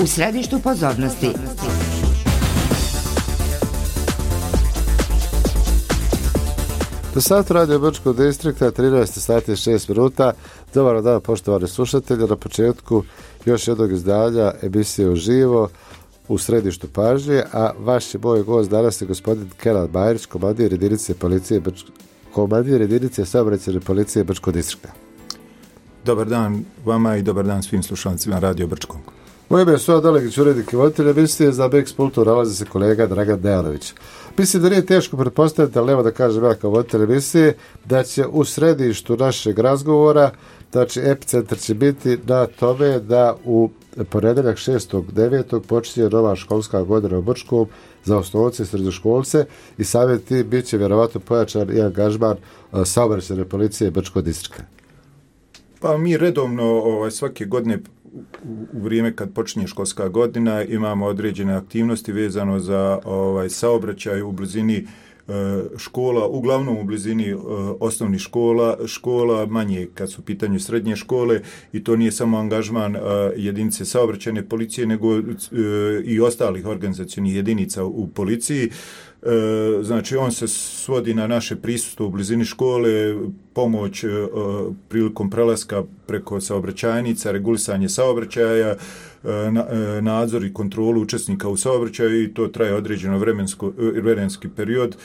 U središtu pozornosti. Do satu Radio Brčkog distrikta, 13 sati i 6 minuta. Dobar dan, poštovani slušatelji. Na početku još jednog izdanja emisije Uživo u središtu pažnje, a vaš je moj gost danas je gospodin Kenan Bajrić, komandir jedinice saobraćajne policije Brčkog distrikta. Dobar dan vama i dobar dan svim slušalcima Radio Brčkog. Moje ime je Soja Dalegić, urednik i voditelj emisije. Za Bex Pultu nalazi se kolega Dragan Dejanović. Mislim da nije teško pretpostaviti, ali evo da kažem ja kao voditelj emisije, da će u središtu našeg razgovora, znači epicentar će biti na tome da u ponedjeljak 6.9. počinje nova školska godina u Brčkom za osnovce i srednjoškolce i samim tim bit će vjerovatno pojačan i angažman saobraćajne policije Brčkog distrikta. Pa mi redovno svake godine u vrijeme kad počinje školska godina imamo određene aktivnosti vezano za saobraćaj u blizini škola, uglavnom u blizini osnovnih škola, manje kad su u pitanju srednje škole, i to nije samo angažman jedinice saobraćajne policije, nego i ostalih organizacionih jedinica u policiji. Znači on se svodi na naše prisustvo u blizini škole, pomoć prilikom prelaska preko saobraćajnica, regulisanje saobraćaja, nadzor i kontrolu učesnika u saobraćaju, i to traje određeno vremenski period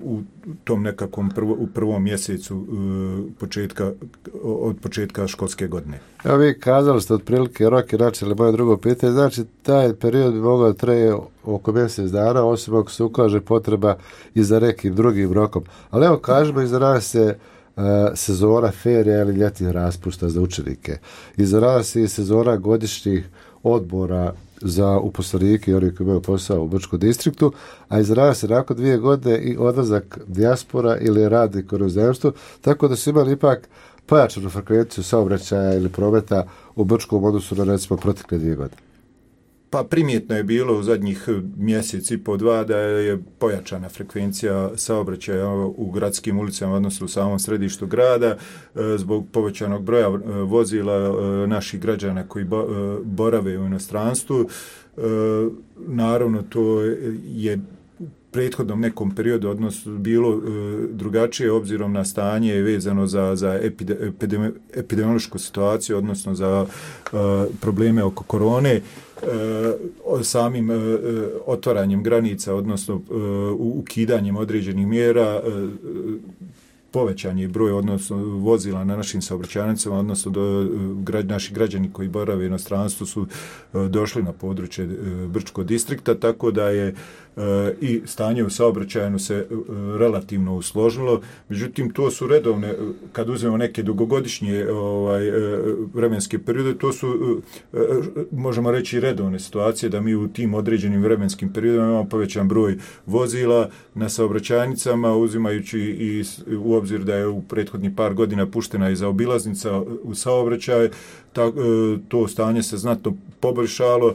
u tom nekakvom u prvom mjesecu od početka školske godine. Evo vi kazali ste otprilike rok i načeli moje drugo pitanje, znači taj period bi mogao traje oko mjesec dana, osim ako se ukaže potreba i za nekim drugim rokom. Ali evo kažemo, iza nas se sezona ferija ili ljetnih raspusta za učenike. Iza nas je sezona godišnjih odmora za uposlenike i oni koji imaju posao u Brčkom distriktu, a iza nas je nakon 2 godine i odlazak dijaspora ili radnik u inozemstvu, tako da su imali ipak pojačanu frekvenciju saobraćaja ili prometa u Brčkom odnosu na recimo protekle 2 godine. Pa primjetno je bilo u zadnjih mjesec i po 2 da je pojačana frekvencija saobraćaja u gradskim ulicama, odnosno u samom središtu grada, zbog povećanog broja vozila naših građana koji borave u inostranstvu. Naravno, to je prethodnom nekom periodu odnosno bilo drugačije obzirom na stanje vezano za epidemiološku situaciju, odnosno za probleme oko korone. Samim otvaranjem granica, odnosno ukidanjem određenih mjera, povećan je broj odnosno vozila na našim saobraćajnicama, odnosno naši građani koji borave u inostranstvu su došli na područje Brčkog distrikta, tako da je i stanje u saobraćaju se relativno usložilo. Međutim, to su redovne, kad uzmemo neke dugogodišnje vremenske periode, to su, možemo reći, redovne situacije da mi u tim određenim vremenskim periodima imamo povećan broj vozila na saobraćajnicama, uzimajući i u obzir da je u prethodnih par godina puštena i zaobilaznica u saobraćaj, to stanje se znatno poboljšalo.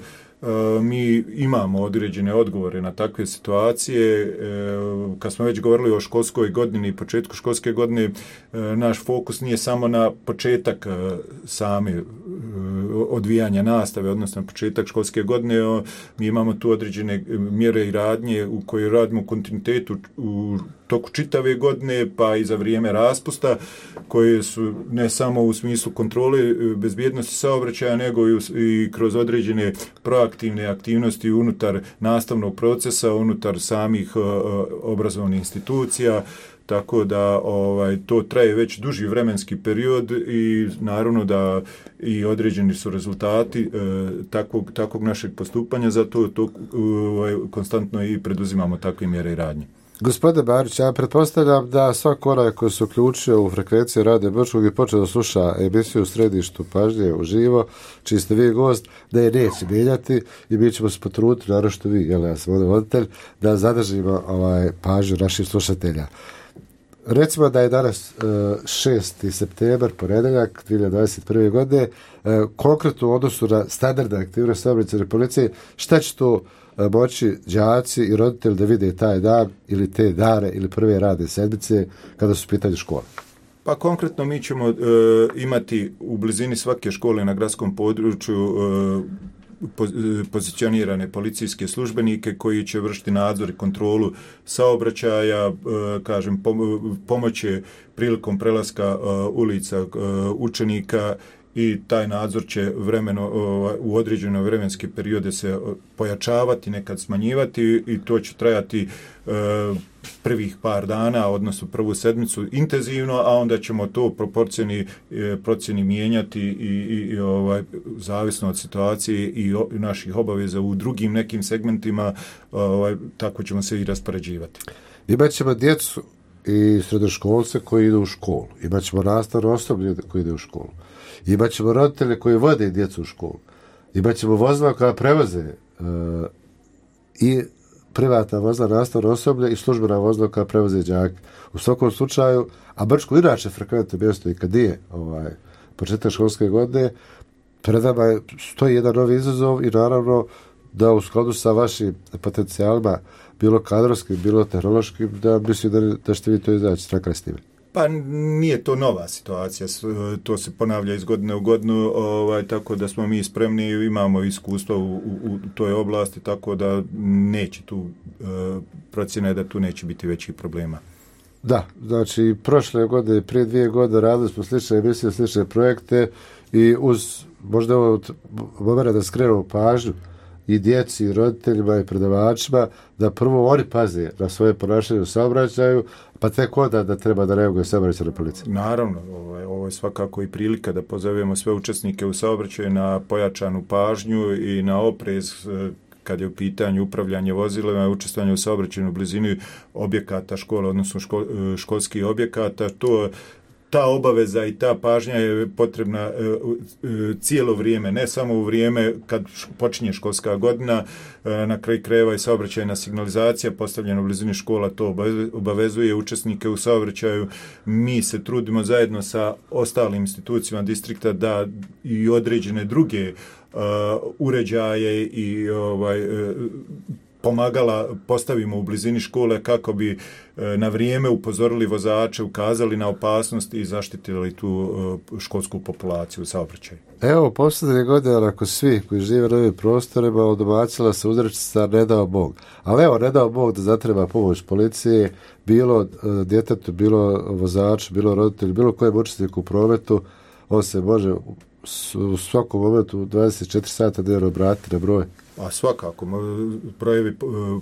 Mi imamo određene odgovore na takve situacije. Kad smo već govorili o školskoj godini i početku školske godine, naš fokus nije samo na početak same odvijanja nastave, odnosno na početak školske godine. Mi imamo tu određene mjere i radnje u kojoj radimo u kontinuitetu u toku čitave godine, pa i za vrijeme raspusta, koje su ne samo u smislu kontrole bezbjednosti saobraćaja, nego i kroz određene proaktivne aktivnosti unutar nastavnog procesa, unutar samih obrazovnih institucija, tako da to traje već duži vremenski period i naravno da i određeni su rezultati takvog našeg postupanja, zato to konstantno i preduzimamo takve mjere i radnje. Gospodine Bajrić, ja pretpostavljam da svak onaj koji se uključio u frekvenciju Radio Brčkog i počeo da sluša emisiju u središtu pažnje uživo, čiji ste vi gost, da je neće mijenjati i mi ćemo se potruditi, naravno što vi, ja sam ovdje voditelj, da zadržimo pažnju naših slušatelja. Recimo da je danas 6. septembar, ponedjeljak 2021. godine, konkretno u odnosu na standardne aktivnosti saobraćajne policije, šta će to moći đaci i roditelji da vide taj dan ili te dane ili prve radne sedmice kada su u pitanju škole? Pa konkretno mi ćemo imati u blizini svake škole na gradskom području pozicionirane policijske službenike koji će vršiti nadzor i kontrolu saobraćaja, kažem, pomoći prilikom prelaska ulica učenika, i taj nadzor će u određene vremenske periode se pojačavati, nekad smanjivati, i to će trajati prvih par dana, odnosno prvu sedmicu intenzivno, a onda ćemo to procjeni mijenjati i zavisno od situacije i naših obaveza u drugim nekim segmentima, tako ćemo se i raspoređivati. Imat ćemo djecu i srednjoškolce koji idu u školu. Imat ćemo nastavno osoblje koji ide u školu. Imat ćemo roditelje koji vode djecu u školu. Imat ćemo vozila koja prevoze i privatna vozila, nastavno osoblje i službena vozila koja prevoze đake. U svakom slučaju, a Brčko inače frekventno mjesto i kad je početak školske godine, pred nama stoji jedan novi izazov i naravno da u skladu sa vašim potencijalima, bilo kadrovskim, bilo tehnološkim, da mislim da ćete vi to izaći na kraj s time. Pa nije to nova situacija, to se ponavlja iz godine u godinu, tako da smo mi spremni, imamo iskustva u toj oblasti, tako da neće tu, procjena je da tu neće biti većih problema. Da, znači prošle godine, prije 2 godine radili smo slične emisije, slične projekte i uz možda ovo moment da skrenemo pažnju i djeci, i roditeljima, i predavačima, da prvo oni paze na svoje ponašanje u saobraćaju, pa tek onda da treba da reaguje saobraćajna policija. Naravno, ovo je svakako i prilika da pozovemo sve učesnike u saobraćaju na pojačanu pažnju i na oprez kad je u pitanju upravljanje vozilima i učestvovanje u saobraćajnoj blizini objekata škola, odnosno školskih objekata. Ta obaveza i ta pažnja je potrebna cijelo vrijeme, ne samo u vrijeme kad počinje školska godina, na kraju krajeva i saobraćajna signalizacija postavljena u blizini škola to obavezuje učesnike u saobraćaju. Mi se trudimo zajedno sa ostalim institucijama distrikta da i određene druge uređaje i pomagala postavimo u blizini škole kako bi na vrijeme upozorili vozače, ukazali na opasnost i zaštitili tu školsku populaciju u saobraćaju. Evo, posljednje godine, ako svi koji žive na ovim prostorima, odbacila se uzrečica ne dao Bog. Ali evo, ne dao Bog da zatreba pomoć policije, bilo djetetu, bilo vozaču, bilo roditelju, bilo kojem učesniku u prometu, on se može u svakom momentu 24 sata dnevno obratiti na broj. A svakako, brojevi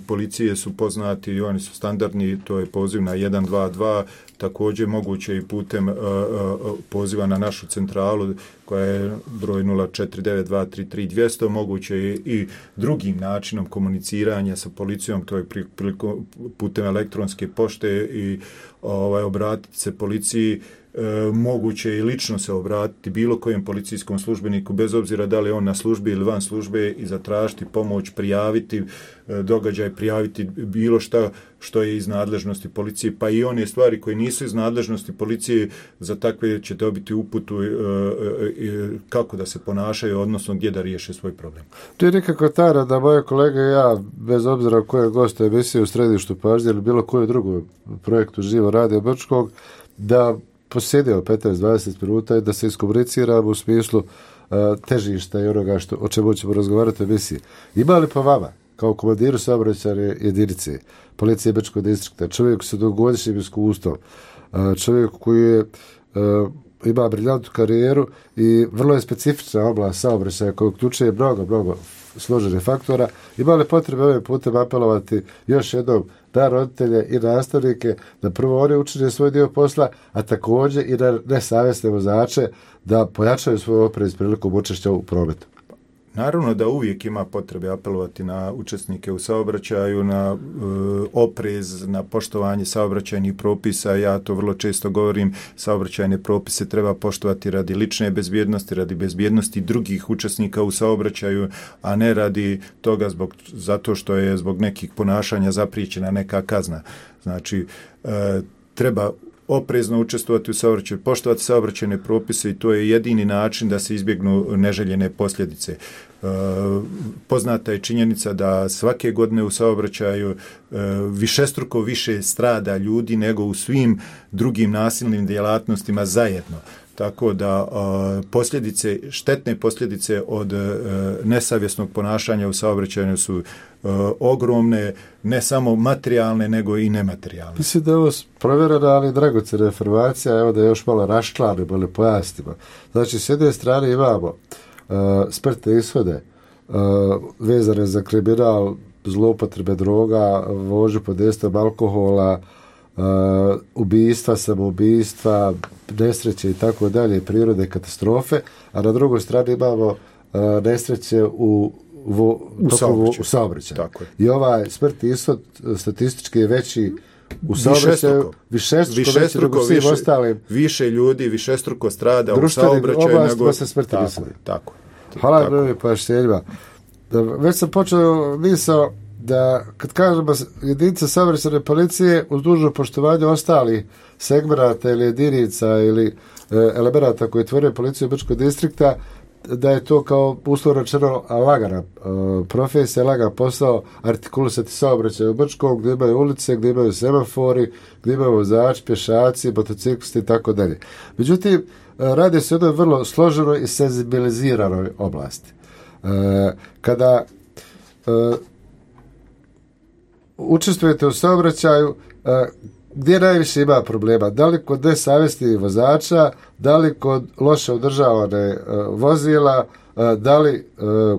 policije su poznati i oni su standardni, to je poziv na 122, također moguće i putem poziva na našu centralu koja je broj 049233 moguće i drugim načinom komuniciranja sa policijom, to je putem elektronske pošte i obratiti se policiji. Moguće je i lično se obratiti bilo kojem policijskom službeniku, bez obzira da li je on na službi ili van službe, i zatražiti pomoć, prijaviti događaj, prijaviti bilo što je iz nadležnosti policije, pa i one stvari koje nisu iz nadležnosti policije, za takve će dobiti uputu kako da se ponašaju, odnosno gdje da riješe svoj problem. To je nekako tajna da moje kolege i ja, bez obzira koje goste emisije u središtu pažnje ili bilo koju drugu projektu Živo Radio Brčkog, da posjedimo 15-20 minuta i da se iskomuniciramo u smislu težišta i onoga o čemu ćemo razgovarati u emisiji. Ima li po vama, kao komandiru saobraćajne jedinice policije Brčkog distrikta, čovjek sa dugogodišnjim iskustvom, čovjek koji ima briljantnu karijeru i vrlo je specifična oblast saobraćaja koja uključuje mnogo složenih faktora, ima li potrebe ovim putem apelovati još jednom na roditelje i nastavnike da prvo oni učine svoj dio posla, a također i na nesavjesne vozače da pojačaju svoj oprez prilikom učešća u prometu? Naravno da uvijek ima potrebe apelovati na učesnike u saobraćaju, na oprez, na poštovanje saobraćajnih propisa. Ja to vrlo često govorim, saobraćajne propise treba poštovati radi lične bezbjednosti, radi bezbjednosti drugih učesnika u saobraćaju, a ne radi toga zato što je zbog nekih ponašanja zapriječena neka kazna. Znači, treba oprezno učestvovati u saobraćaju, poštovati saobraćajne propise, i to je jedini način da se izbjegnu neželjene posljedice. Poznata je činjenica da svake godine u saobraćaju višestruko više strada ljudi nego u svim drugim nasilnim djelatnostima zajedno. tako da štetne posljedice od nesavjesnog ponašanja u saobraćaju su ogromne, ne samo materijalne, nego i nematerijalne. Mislim da je ovo provjerena, ali dragocjena informacija, evo da je još malo raščlanimo ili pojasnimo. Znači, s jedne strane imamo smrtne ishode vezane za kriminal, zloupotrebe droga, vožnju pod dejstvom alkohola, ubistva, samoubistva, nesreće i tako dalje, prirode, katastrofe, a na drugoj strani imamo nesreće u saobraćaju. I ovaj smrtni ishod statistički je veći u saobraćaju, višestruko veći nego svim ostalim. Više ljudi, višestruko strada u saobraćaju nego se smrtni ishod. Tako. Hvala mnogim pojašnjenjima. Već sam počeo misao da kad kažemo jedinice saobraćajne policije uz dužno poštovanje ostalih segmenata ili jedinica ili elemenata koje tvore policiju Brčkog distrikta, da je to kao uslovno rečeno lagana profesija, lagan posao artikulisati saobraćaj u Brčkom, gdje imaju ulice, gdje imaju semafori, gdje imaju vozači, pješaci, motociklisti i tako dalje. Međutim, radi se o jednoj vrlo složenoj i senzibiliziranoj oblasti. Kada učestvujete u saobraćaju, gdje najviše ima problema? Da li kod nesavjesnih vozača, da li kod loše održavane vozila, da li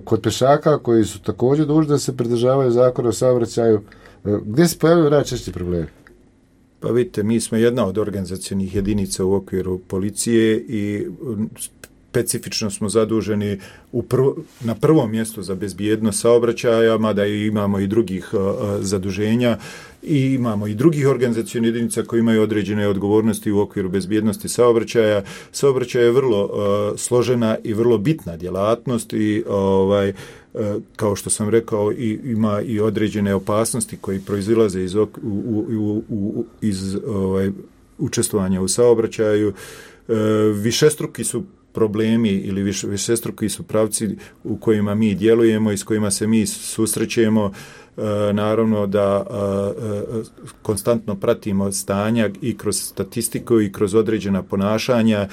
kod pješaka koji su također dužni da se pridržavaju zakona o saobraćaju? Gdje se pojavljaju najčešći problemi? Pa vidite, mi smo jedna od organizacionih jedinica u okviru policije i specifično smo zaduženi na prvom mjestu za bezbjednost saobraćaja, mada imamo i drugih zaduženja i imamo i drugih organizacionih jedinica koji imaju određene odgovornosti u okviru bezbjednosti saobraćaja. Saobraćaj je vrlo složena i vrlo bitna djelatnost i kao što sam rekao ima i određene opasnosti koji proizilaze iz učestvovanja u saobraćaju. Višestruki su problemi ili višestruki su pravci u kojima mi djelujemo i s kojima se mi susrećemo. Naravno da konstantno pratimo stanja i kroz statistiku i kroz određena ponašanja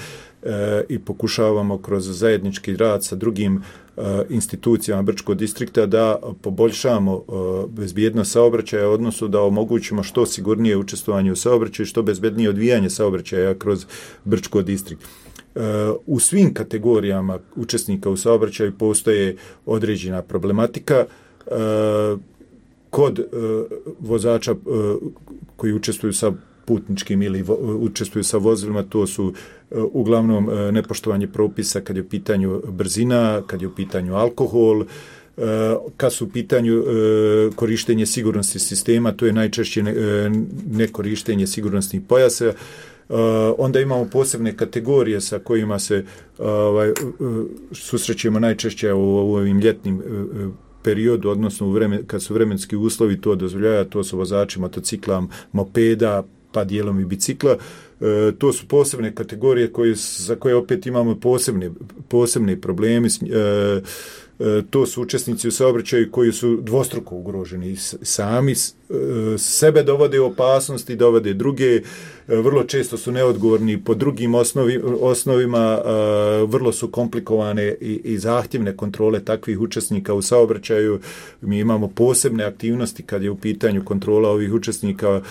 i pokušavamo kroz zajednički rad sa drugim institucijama Brčkog distrikta da poboljšamo bezbjednost saobraćaja, odnosno da omogućimo što sigurnije učestvovanje u saobraćaju i što bezbednije odvijanje saobraćaja kroz Brčkog distrikt. U svim kategorijama učesnika u saobraćaju postoje određena problematika. Kod vozača koji učestvuju sa putničkim ili učestvuju sa vozilima, to su uglavnom nepoštovanje propisa kad je u pitanju brzina, kad je u pitanju alkohol, kad su u pitanju korištenje sigurnosnih sistema, to je najčešće nekorištenje sigurnosnih pojasa. Onda imamo posebne kategorije sa kojima se susrećemo najčešće u ovim ljetnim periodu, odnosno kad su vremenski uslovi to dozvoljavaju, to su vozači motocikla, mopeda, pa dijelom i bicikla. To su posebne kategorije za koje opet imamo posebne problemi. To su učesnici u saobraćaju koji su dvostruko ugroženi. Sami sebe dovode u opasnosti, dovode druge, vrlo često su neodgovorni po drugim osnovima, vrlo su komplikovane i zahtjevne kontrole takvih učesnika u saobraćaju. Mi imamo posebne aktivnosti kad je u pitanju kontrola ovih učesnika,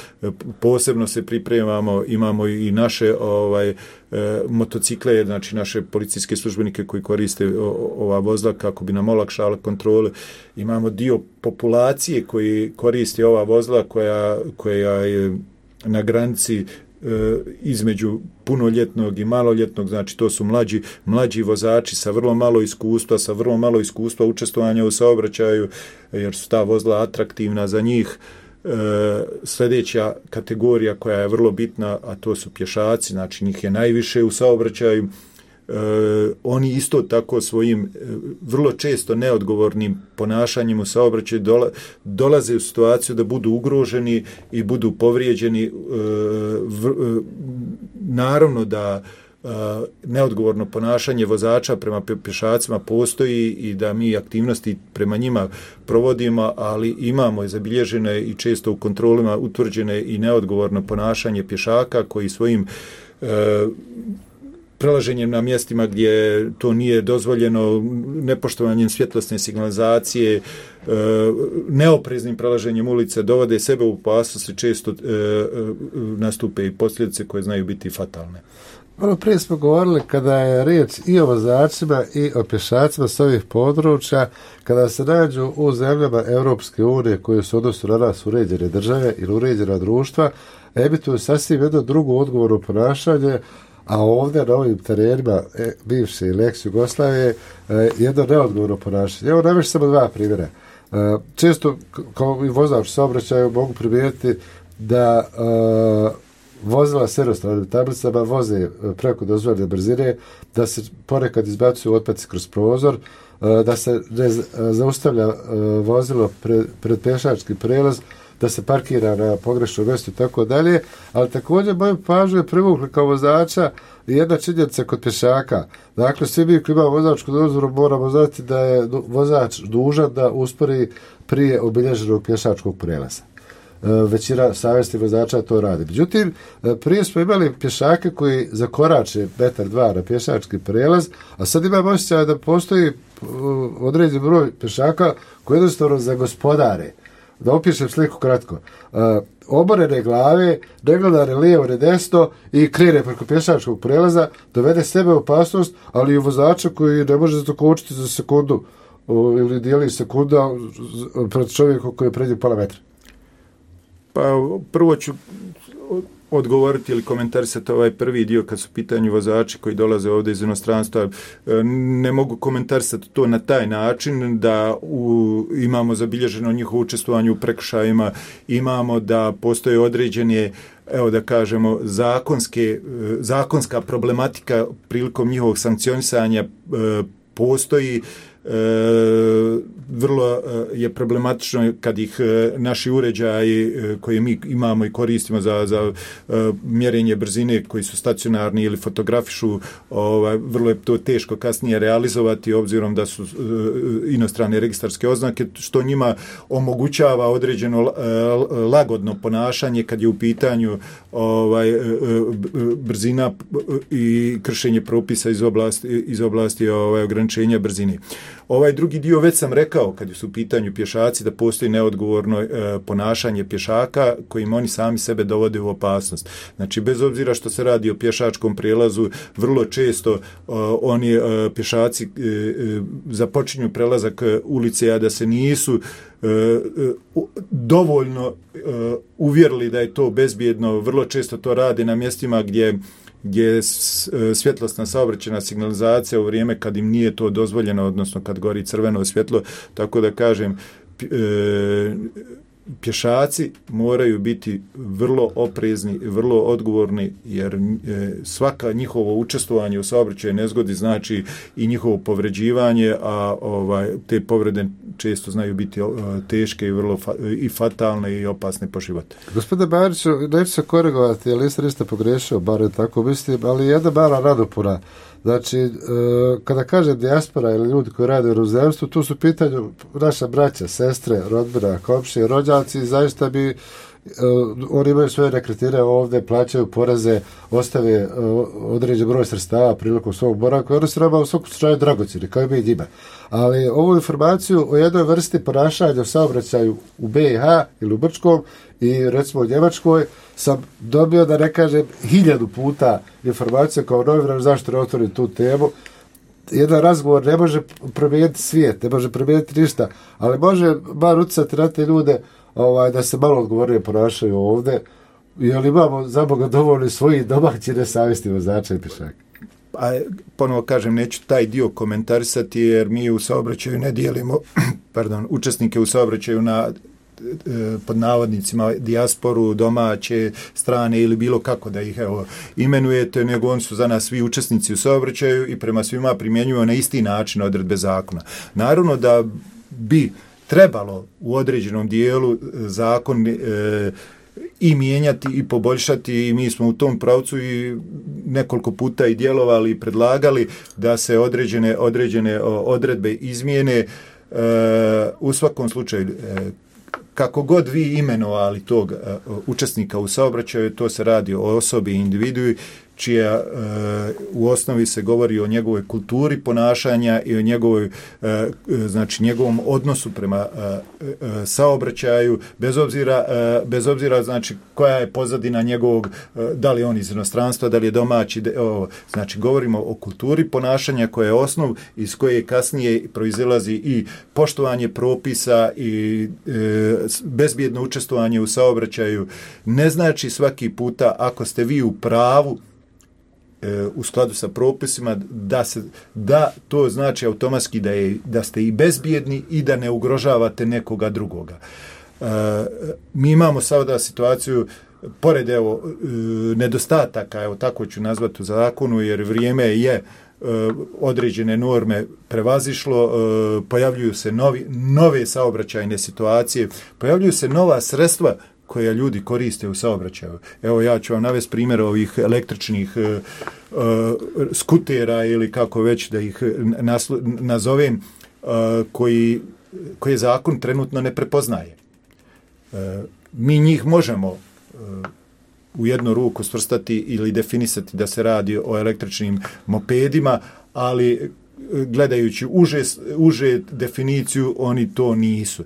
posebno se pripremamo, imamo i naše motocikle, znači naše policijske službenike koji koriste ova vozila kako bi nam olakšala kontrole. Imamo dio populacije koji koristi ova vozila koja je na granici između punoljetnog i maloljetnog, znači to su mlađi vozači sa vrlo malo iskustva učestvovanja u saobraćaju, jer su ta vozila atraktivna za njih. Sljedeća kategorija koja je vrlo bitna, a to su pješaci, znači njih je najviše u saobraćaju. Oni isto tako svojim vrlo često neodgovornim ponašanjem u saobraćaju dolaze u situaciju da budu ugroženi i budu povrijeđeni. Naravno da neodgovorno ponašanje vozača prema pješacima postoji i da mi aktivnosti prema njima provodimo, ali imamo zabilježene i često u kontrolima utvrđene i neodgovorno ponašanje pješaka koji svojim prelaženjem na mjestima gdje to nije dozvoljeno, nepoštovanjem svjetlosne signalizacije, neopreznim prelaženjem ulice dovode sebe u opasnost i često nastupe i posljedice koje znaju biti fatalne. Malo prije smo govorili kada je riječ i o vozačima i o pješacima s ovih područja, kada se nađu u zemljama Europske unije koje su odnosno na nas uređene države ili uređena društva, emituju sasvim jedno drugo odgovorno ponašanje, a ovdje na ovim terenima bivše ili ex-Jugoslavije jedno neodgovorno ponašanje. Evo naveš samo dva primjera. Često kao i vozač saobraćaja mogu primijetiti da vozila s jednostranim tablicama voze preko dozvoljene brzine, da se ponekad izbacuju otpaci kroz prozor, da se ne zaustavlja vozilo pred pješački prelaz, da se parkira na pogrešnom mjestu i tako dalje, ali također moju pažnju je privukli kao vozača jedna činjenica kod pješaka. Dakle, svi mi koji imamo vozačku dozvolu moramo znati da je vozač dužan da uspori prije obilježenog pješačkog prelaza. Većina savjesnih vozača to radi. Međutim, prije smo imali pješake koji zakorače 1-2 metra na pješački prelaz, a sad imamo osjećaj da postoji određen broj pješaka koji jednostavno zagospodare. Da opišem sliku kratko. Oborene glave, ne gleda ne lijevo ne desno i krene preko pješačkog prelaza, dovede sebe u opasnost, ali i vozača koji ne može zakočiti za sekundu ili dijeli sekunda pred čovjekom koji je pređe pola metra. Pa prvo ću odgovoriti ili komentarisati ovaj prvi dio kad su pitanju vozači koji dolaze ovdje iz inostranstva. Ne mogu komentarisati to na taj način da imamo zabilježeno njihovo učestvovanje u prekršajima, imamo da postoje određene, evo da kažemo, zakonska problematika prilikom njihovog sankcionisanja postoji. Vrlo je problematično kad ih naši uređaji koje mi imamo i koristimo za mjerenje brzine koji su stacionarni ili fotografišu, vrlo je to teško kasnije realizovati obzirom da su inostrane registarske oznake, što njima omogućava određeno lagodno ponašanje kad je u pitanju brzina i kršenje propisa iz oblasti ograničenja brzine. Ovaj drugi dio već sam rekao kad su u pitanju pješaci da postoji neodgovorno ponašanje pješaka kojim oni sami sebe dovode u opasnost. Znači bez obzira što se radi o pješačkom prijelazu, vrlo često oni pješaci započinju prelazak ulice, a da se nisu dovoljno uvjerili da je to bezbjedno. Vrlo često to rade na mjestima gdje je svjetlosna saobraćajna signalizacija u vrijeme kad im nije to dozvoljeno, odnosno kad gori crveno svjetlo, tako da kažem, pješaci moraju biti vrlo oprezni, vrlo odgovorni, jer svaka njihovo učestvovanje u saobraćajnoj nezgodi znači i njihovo povređivanje, a te povrede često znaju biti teške i vrlo i fatalne i opasne po život. Gospodine Bariću, neću se korigovati, jer niste pogrešio, bar tako mislim, ali jedna mala nadopuna. Znači, kada kažem dijaspora ili ljudi koji rade u inozemstvu, tu su pitanju naša braća, sestre, rodbina, komšije, rođaci, zaista bi oni imaju svoje nekretnine ovdje, plaćaju poreze, ostave određen broj sredstava prilikom svog boravka, oni su nama u svakom slučaju dragocjeni, kao i mi njima. Ali ovu informaciju o jednoj vrsti ponašanja u saobraćaju u BiH ili u Brčkom i recimo u Njemačkoj sam dobio, da ne kažem, 1000 puta informacija kao novinar, zašto ne otvorim tu temu. Jedan razgovor ne može promijeniti svijet, ne može promijeniti ništa, ali može bar utjecati na te ljude da se malo odgovornije ponašaju ovdje, jer imamo za Boga dovoljno svojih domaćih nesavjesnih vozača i pješaka. A ponovo kažem, neću taj dio komentarisati jer mi u saobraćaju ne dijelimo učesnike u saobraćaju na pod navodnicima dijasporu, domaće, strane ili bilo kako da ih imenujete, nego oni su za nas svi učesnici u saobraćaju i prema svima primjenjuju na isti način odredbe zakona. Naravno da bi trebalo u određenom dijelu zakon i mijenjati i poboljšati, i mi smo u tom pravcu i nekoliko puta i djelovali i predlagali da se određene odredbe izmijene. U svakom slučaju, kako god vi imenovali tog učesnika u saobraćaju, to se radi o osobi i individui čija u osnovi se govori o njegovoj kulturi ponašanja i o njegovoj, znači njegovom odnosu prema saobraćaju, bez obzira znači koja je pozadina njegovog, da li je on iz inostranstva, da li je domaći, znači govorimo o kulturi ponašanja koja je osnov iz koje kasnije proizilazi i poštovanje propisa i bezbjedno učestvovanje u saobraćaju. Ne znači svaki puta ako ste vi u pravu u skladu sa propisima da to znači automatski da ste i bezbjedni i da ne ugrožavate nekoga drugoga. Mi imamo sada situaciju pored nedostataka, evo tako ću nazvati u zakonu, jer vrijeme je određene norme prevazišlo, pojavljuju se nove saobraćajne situacije, pojavljuju se nova sredstva koja ljudi koriste u saobraćaju. Evo ja ću vam navesti primjer ovih električnih skutera ili kako već da ih nazovem, koje zakon trenutno ne prepoznaje. Mi njih možemo u jednu ruku svrstati ili definisati da se radi o električnim mopedima, ali gledajući uže definiciju, oni to nisu.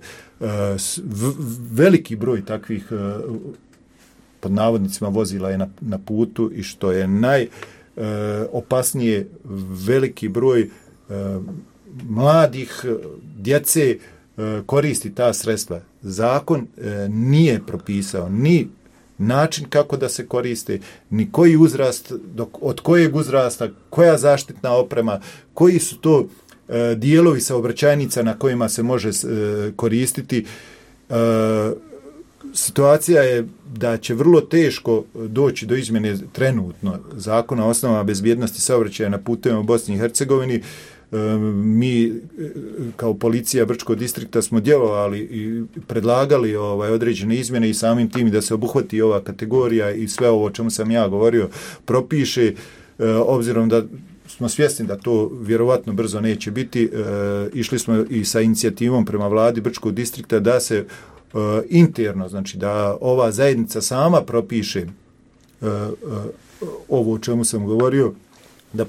Veliki broj takvih pod navodnicima vozila je na putu i što je najopasnije, veliki broj mladih djece koristi ta sredstva. Zakon nije propisao ni način kako da se koriste, ni koji uzrast, od kojeg uzrasta, koja zaštitna oprema, koji su to dijelovi saobraćajnica na kojima se može koristiti. Situacija je da će vrlo teško doći do izmjene trenutno zakona o osnovama bezbjednosti saobraćaja na putevima u Bosni i Hercegovini. Mi kao policija Brčkog distrikta smo djelovali i predlagali određene izmjene i samim tim da se obuhvati ova kategorija i sve ovo o čemu sam ja govorio propiše, obzirom da smo svjesni da to vjerovatno brzo neće biti. Išli smo i sa inicijativom prema vladi Brčkog distrikta da se interno, znači da ova zajednica sama propiše ovo o čemu sam govorio, da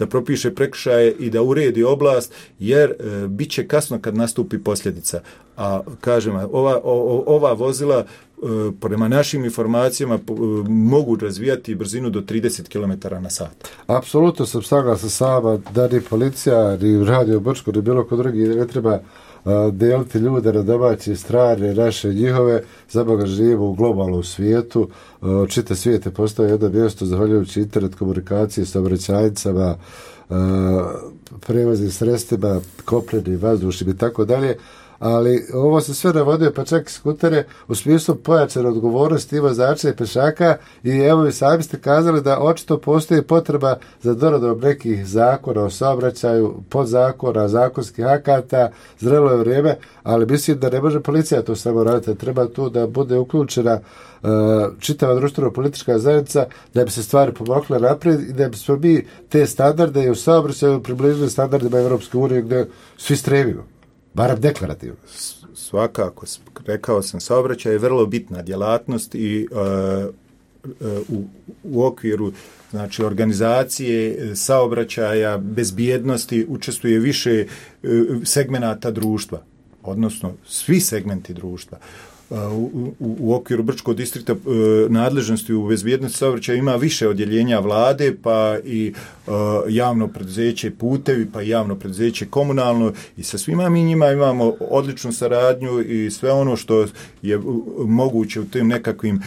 propiše prekršaje i da uredi oblast, jer bit će kasno kad nastupi posljedica. A kažem, ova vozila prema našim informacijama mogu razvijati brzinu do 30 km/h. Apsolutno sam saglasan sa vama da ni policija, ni Radio Brčko, ni bilo ko drugi ne treba deliti ljude na domaće, strane, naše, njihove. Za Boga živimo u globalnom svijetu. Čitav svijet je postao jedno mjesto zahvaljujući internet komunikaciji, saobraćajnicama, prevoznim sredstvima, kopnenim, vazdušnim i tako dalje. Ali ovo se sve navodio, pa čak i skutere, u smislu pojačane odgovornosti i vozača i pešaka, i evo i sami ste kazali da očito postoji potreba za doradom nekih zakona o saobraćaju, podzakona, zakonskih akata, zrelo je vrijeme, ali mislim da ne može policija to samo raditi, treba tu da bude uključena čitava društveno-politička zajednica da bi se stvari pomakle naprijed i da bi smo mi te standarde i u saobraćaju približili standardima Europske unije gdje svi stremimo. Barem deklarativno. Svakako, rekao sam, saobraćaj je vrlo bitna djelatnost i u okviru, znači, organizacije saobraćaja, bezbjednosti učestvuje više segmenata društva, odnosno svi segmenti društva. U okviru Brčkog distrikta nadležnosti u bezbjednosti saobraćaja ima više odjeljenja vlade, pa i javno preduzeće putevi, pa i javno preduzeće komunalno, i sa svima mi njima imamo odličnu saradnju i sve ono što je moguće u tim nekakvim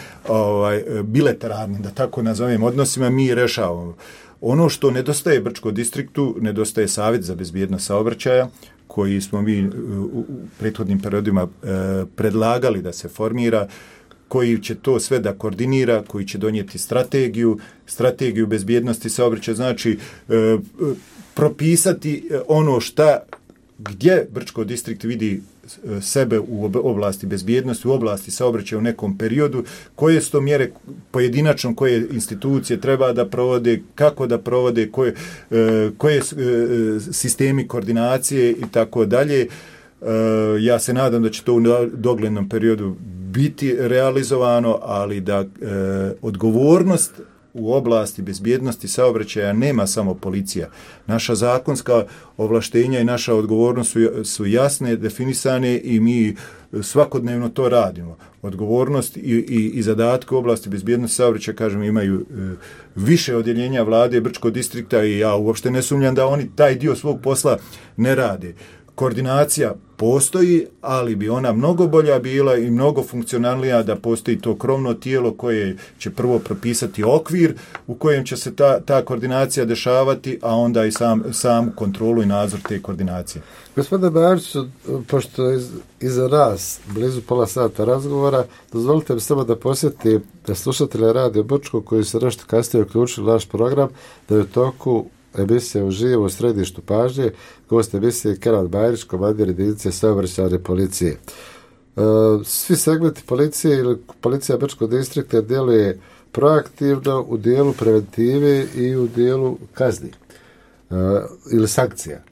bilateralnim, da tako nazovem, odnosima mi rešavamo. Ono što nedostaje Brčkom distriktu, nedostaje Savjet za bezbjednost saobraćaja, koji smo mi u prethodnim periodima predlagali da se formira, koji će to sve da koordinira, koji će donijeti strategiju bezbjednosti saobraćaja, znači propisati ono gdje Brčko distrikt vidi sebe u oblasti bezbjednosti, u oblasti saobraćaja u nekom periodu, koje su to mjere pojedinačno, koje institucije treba da provode, kako da provode, koje sistemi koordinacije i tako dalje. Ja se nadam da će to u doglednom periodu biti realizovano, ali da odgovornost u oblasti bezbjednosti saobraćaja nema samo policija. Naša zakonska ovlaštenja i naša odgovornost su jasne, definisane i mi svakodnevno to radimo. Odgovornost i zadatke u oblasti bezbjednosti saobraćaja, kažem, imaju više odjeljenja vlade Brčkog distrikta i ja uopšte ne sumnjam da oni taj dio svog posla ne rade. Koordinacija postoji, ali bi ona mnogo bolja bila i mnogo funkcionalnija da postoji to krovno tijelo koje će prvo propisati okvir u kojem će se ta koordinacija dešavati, a onda i sam kontrolu i nadzor te koordinacije. Gospodine Bariću, pošto je iza nas blizu pola sata razgovora, dozvolite mi samo da posjetim da slušatelje Radio Brčko koji se nešto kasnije uključili naš program, da je u toku emisija uživo u središtu pažnje, gost emisije Kenan Bajrić, komandir jedinice saobraćajne policije. Svi segmenti policije ili policija Brčkog distrikta djeluje proaktivno u dijelu preventive i u dijelu kazni ili sankcija.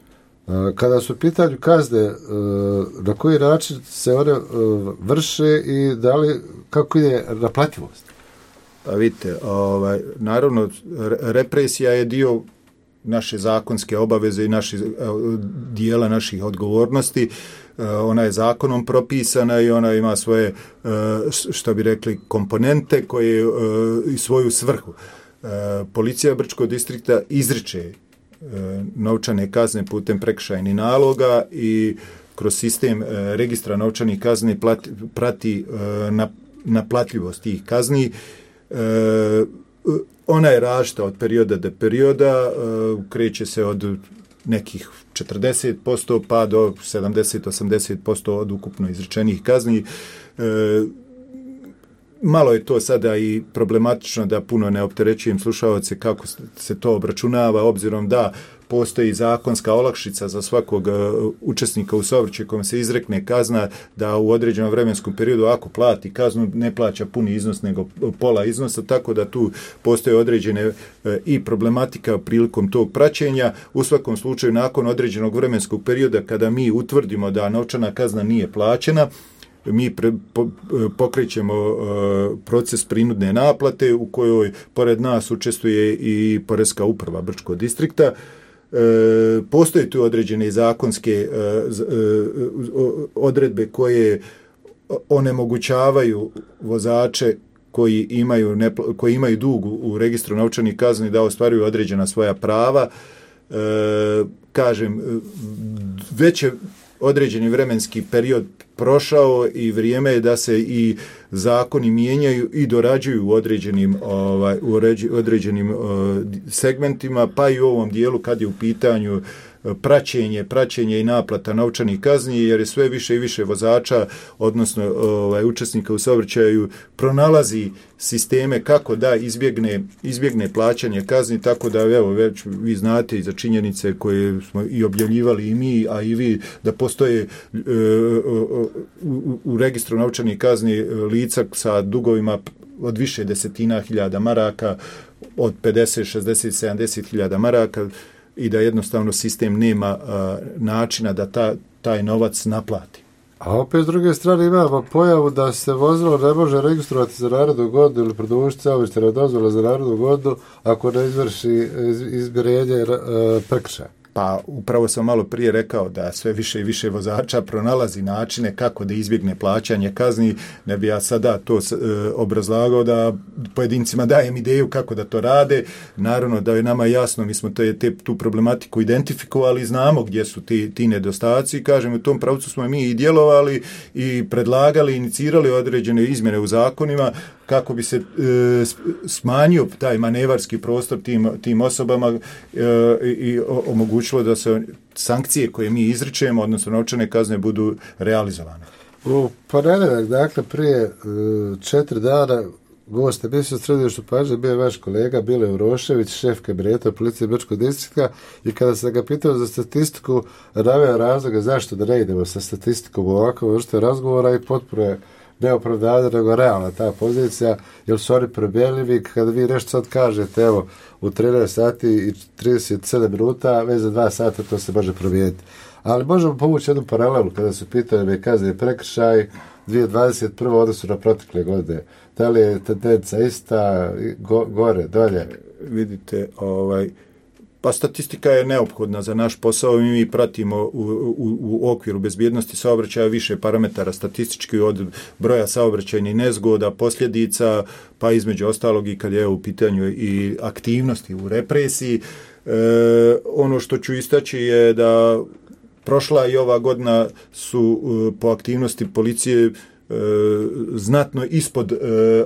Kada su u pitanju kazne, na koji način se one vrše i da li, kako je naplativost? Pa vidite, naravno, represija je dio naše zakonske obaveze i dijela naših odgovornosti. Ona je zakonom propisana i ona ima svoje, što bi rekli, komponente koje i svoju svrhu. Policija Brčkog distrikta izriče novčane kazne putem prekršajnih naloga i kroz sistem registra novčanih kazni prati naplatljivost tih kazni. Ona je različita od perioda do perioda, kreće se od nekih 40% pa do 70-80% od ukupno izrečenih kazni. Malo je to sada i problematično da puno ne opterećujem slušaoce kako se to obračunava, obzirom da postoji zakonska olakšica za svakog učesnika u saobraćaju kome se izrekne kazna da u određenom vremenskom periodu ako plati kaznu ne plaća puni iznos nego pola iznosa, tako da tu postoje određene i problematika prilikom tog praćenja. U svakom slučaju nakon određenog vremenskog perioda kada mi utvrdimo da novčana kazna nije plaćena, mi pokrećemo proces prinudne naplate u kojoj pored nas učestvuje i Poreska uprava Brčkog distrikta. Postoje tu određene zakonske odredbe koje onemogućavaju vozače koji imaju dug u registru novčanih kazni da ostvaruju određena svoja prava. Kažem, već je određeni vremenski period prošao i vrijeme je da se i zakoni mijenjaju i dorađuju u određenim segmentima, pa i u ovom dijelu kad je u pitanju praćenje i naplata novčanih kazni, jer je sve više i više vozača, odnosno učesnika u saobraćaju, pronalazi sisteme kako da izbjegne plaćanje kazni, tako da evo već vi znate i za činjenice koje smo i objavljivali i mi, a i vi, da postoje u registru novčanih kazni lica sa dugovima od više desetina hiljada maraka, od 50, 60, 70 hiljada maraka, i da jednostavno sistem nema načina da taj novac naplati. A opet s druge strane imamo pojavu da se vozilo ne može registrovati za narednu godinu ili produžiti saobraćajna dozvola za narednu godinu ako ne izvrši izmirenje prekršaja. Pa upravo sam malo prije rekao da sve više i više vozača pronalazi načine kako da izbjegne plaćanje kazni. Ne bi ja sada to obrazlagao da pojedincima dajem ideju kako da to rade. Naravno da je nama jasno, mi smo tu problematiku identifikovali, znamo gdje su ti nedostaci. Kažem, u tom pravcu smo mi i djelovali i predlagali, inicirali određene izmjene u zakonima kako bi se smanjio taj manevarski prostor tim osobama i omogućilo da se sankcije koje mi izričemo, odnosno novčane kazne, budu realizovane. U ponedjeljak, dakle prije 4 dana, gost emisije u središtu pažnje bio je vaš kolega Bile Urošević, šef kabineta policije Brčkog distrikta, i kada sam ga pitao za statistiku, naveo razloga zašto da ne idemo sa statistikom u ovakvom vrstu razgovora i potpuno je neopravdana, nego realna ta pozicija, jer su oni prebjeljivi. Kada vi nešto sad kažete, evo, u 13 sati i 37 minuta, već za 2 sata to se može promijeniti. Ali možemo povući jednu paralelu kada su pitanje kazne prekršaj, 2021. odnosu na protekle godine? Da li je tendencija ista, gore, dolje? Vidite, pa statistika je neophodna za naš posao i mi pratimo u okviru bezbjednosti saobraćaja više parametara statistički od broja saobraćajnih nezgoda, posljedica, pa između ostalog i kad je u pitanju i aktivnosti u represiji. Ono što ću istaći je da prošla i ova godina su po aktivnosti policije znatno ispod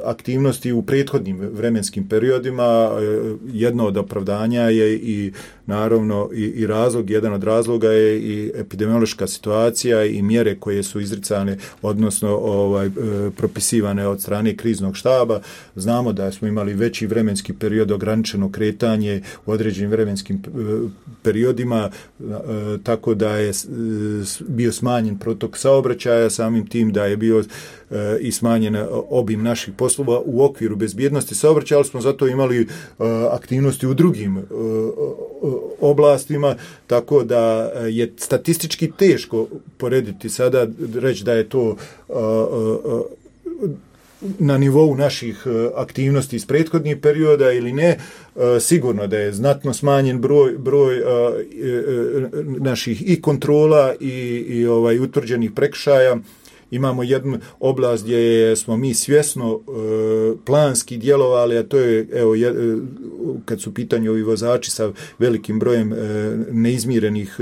aktivnosti u prethodnim vremenskim periodima. Jedno od opravdanja je i naravno i razlog, jedan od razloga je i epidemiološka situacija i mjere koje su izricane, odnosno propisivane od strane kriznog štaba. Znamo da smo imali veći vremenski period, ograničeno kretanje u određenim vremenskim periodima, tako da je bio smanjen protok saobraćaja, samim tim da je bio i smanjen obim naših poslova u okviru bezbjednosti saobraćaja, ali smo zato imali aktivnosti u drugim oblastima, tako da je statistički teško porediti sada, reći da je to na nivou naših aktivnosti iz prethodnih perioda ili ne. Sigurno da je znatno smanjen broj naših i kontrola i utvrđenih prekršaja. Imamo jednu oblast gdje smo mi svjesno planski djelovali, a to je kad su u pitanju ovi vozači sa velikim brojem neizmirenih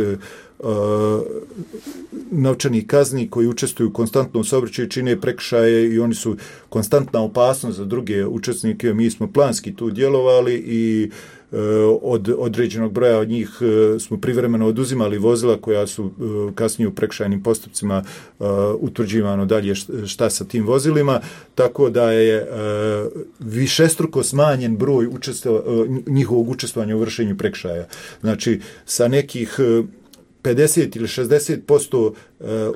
novčanih kazni koji učestvuju konstantno u saobraćaju, čine prekršaje i oni su konstantna opasnost za druge učesnike. Mi smo planski tu djelovali i od određenog broja od njih smo privremeno oduzimali vozila koja su kasnije u prekršajnim postupcima utvrđivano dalje šta sa tim vozilima, tako da je višestruko smanjen broj njihovog učestvovanja u vršenju prekršaja. Znači, sa nekih 50 ili 60%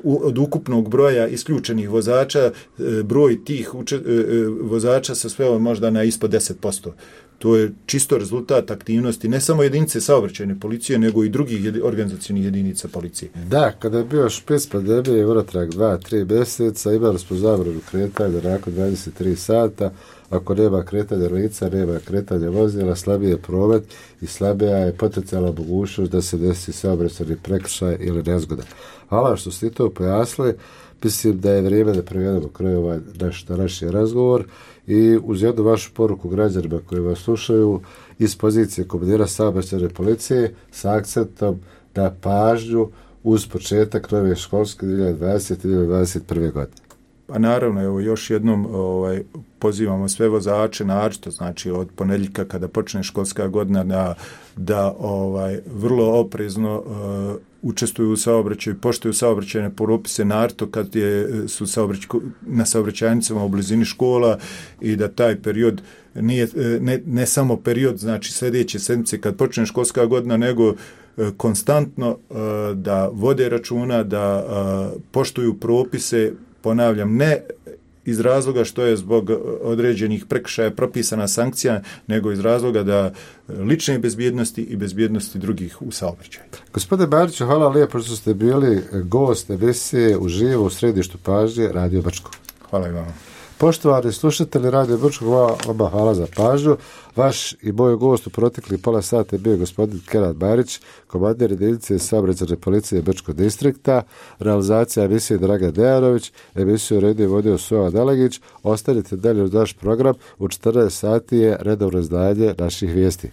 od ukupnog broja isključenih vozača, broj tih vozača se sveo možda na ispod 10%. To je čisto rezultat aktivnosti ne samo jedinice saobraćajne policije, nego i drugih organizacijnih jedinica policije. Da, kada je bio špic pandemije, unatrag 2-3 mjeseca, imali smo zabranu kretanja nakon 23 sata. Ako nema kretanja lica, nema kretanja vozila, slabiji je promet i slabija je potencijalna mogućnost da se desi saobraćajni prekršaj ili nezgoda. Hvala što ste to pojasnili. Mislim da je vrijeme da prevedemo kraj ovaj naš razgovor i uz jednu vašu poruku građanima koji vas slušaju iz pozicije komandira saobraćajne policije sa akcentom na pažnju uz početak nove školske 2020-2021. godine. Pa naravno, evo još jednom pozivamo sve vozače, naročito znači od ponedjeljka kada počne školska godina da vrlo oprezno učestvuju u saobraćaju, poštuju saobraćajne propise, naročito kad su na saobraćajnicama u blizini škola i da taj period nije ne samo period, znači sljedeće sedmice kad počne školska godina, nego konstantno da vode računa, da poštuju propise. Ponavljam, ne iz razloga što je zbog određenih prekršaja propisana sankcija, nego iz razloga da lične bezbjednosti i bezbjednosti drugih u saobraćaju. Gospodine Bariću, hvala lijepo što ste bili gost emisije uživo u središtu pažnje Radio Brčko. Hvala i vama. Poštovani slušatelji Radio Brčko, vama hvala za pažnju. Vaš i moj gost u protekli pola sata je bio gospodin Kenan Barić, komandir jedinice saobraćajne policije Brčkog distrikta, realizacija emisije Dragan Dejanović, emisiju redio vodio Sova Delegić. Ostanite dalje uz naš program, u 14 sati je redovno izdanje naših vijesti.